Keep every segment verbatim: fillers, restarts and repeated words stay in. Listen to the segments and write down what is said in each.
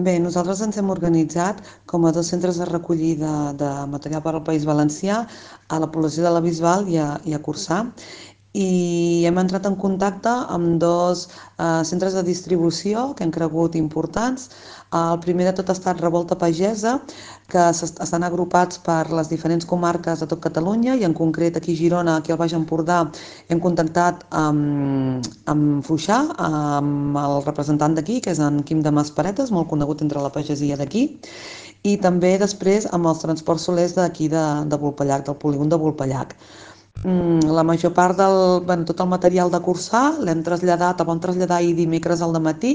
Bé, nosaltres ens hem organitzat com a dos centres de recollida de material per al País Valencià, a la població de la Bisbal i a, i a Corçà, i hem entrat en contacte amb dos eh, centres de distribució que han cregut importants. El primer de tot ha estat Revolta Pagesa, que estan agrupats per les diferents comarques de tot Catalunya i en concret aquí a Girona, aquí al Baix Empordà, hem contactat amb, amb Fluixà, amb el representant d'aquí, que és en Quim de Masparetes, molt conegut entre la pagesia d'aquí, i també després amb els transports solers d'aquí de, de Vulpellac, del polígon de Vulpellac. Mm, la major part del, bueno, tot el material de cursar l'hem traslladat, el vam traslladar ahir dimecres al matí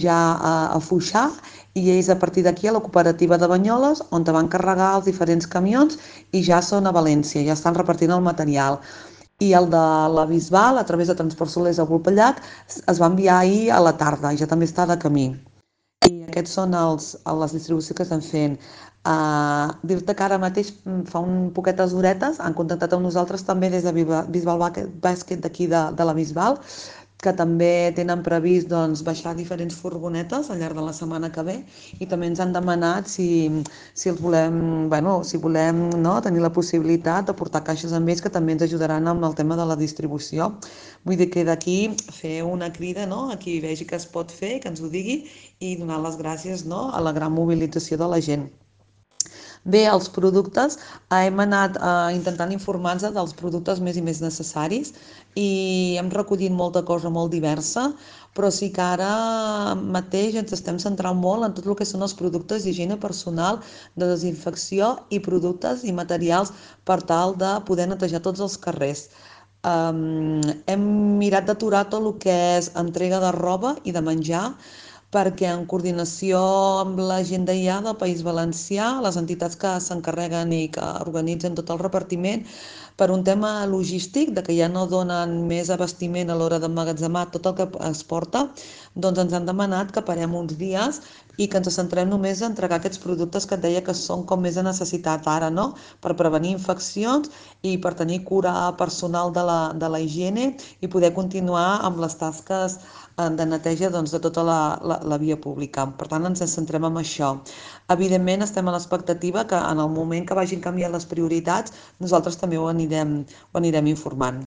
ja a, a Foixà, i ells a partir d'aquí a la cooperativa de Banyoles, on te van carregar els diferents camions i ja són a València, ja estan repartint el material. I el de la Bisbal, a través de Transport Solers a Vulpellac, es va enviar ahir a la tarda i ja també està de camí. I aquests són els, les distribucions que estan fent. Uh, dir-te que ara mateix mm, fa un poquetes horetes han contactat amb nosaltres també des de Bisbal Bàsquet d'aquí de, de la Bisbal, que també tenen previst doncs, baixar diferents furgonetes al llarg de la setmana que ve, i també ens han demanat si, si els volem, bueno, si volem no, tenir la possibilitat de portar caixes amb ells, que també ens ajudaran amb el tema de la distribució. Vull dir que d'aquí fer una crida, no, a qui vegi que es pot fer, que ens ho digui, i donar les gràcies, no, a la gran mobilització de la gent. Bé, els productes, eh, hem anat eh, intentant informar-nos dels productes més i més necessaris, i hem recollit molta cosa molt diversa, però sí que ara mateix ens estem centrant molt en tot el que són els productes d'higiene personal, de desinfecció i productes i materials per tal de poder netejar tots els carrers. Um, hem mirat d'aturar tot el que és entrega de roba i de menjar, perquè en coordinació amb la gent d'I A del País Valencià, les entitats que s'encarreguen i que organitzen tot el repartiment, per un tema logístic, de que ja no donen més abastiment a l'hora d'emmagatzemar tot el que es porta, doncs ens han demanat que parem uns dies i que ens centrem només a entregar aquests productes que et deia que són com més de necessitat ara, no? Per prevenir infeccions i per tenir cura personal de la, de la higiene i poder continuar amb les tasques eh, de neteja doncs, de tota la, la, la via pública. Per tant, ens centrem en això. Evidentment, estem a l'expectativa que en el moment que vagin canviant les prioritats, nosaltres també ho anirem, ho anirem informant.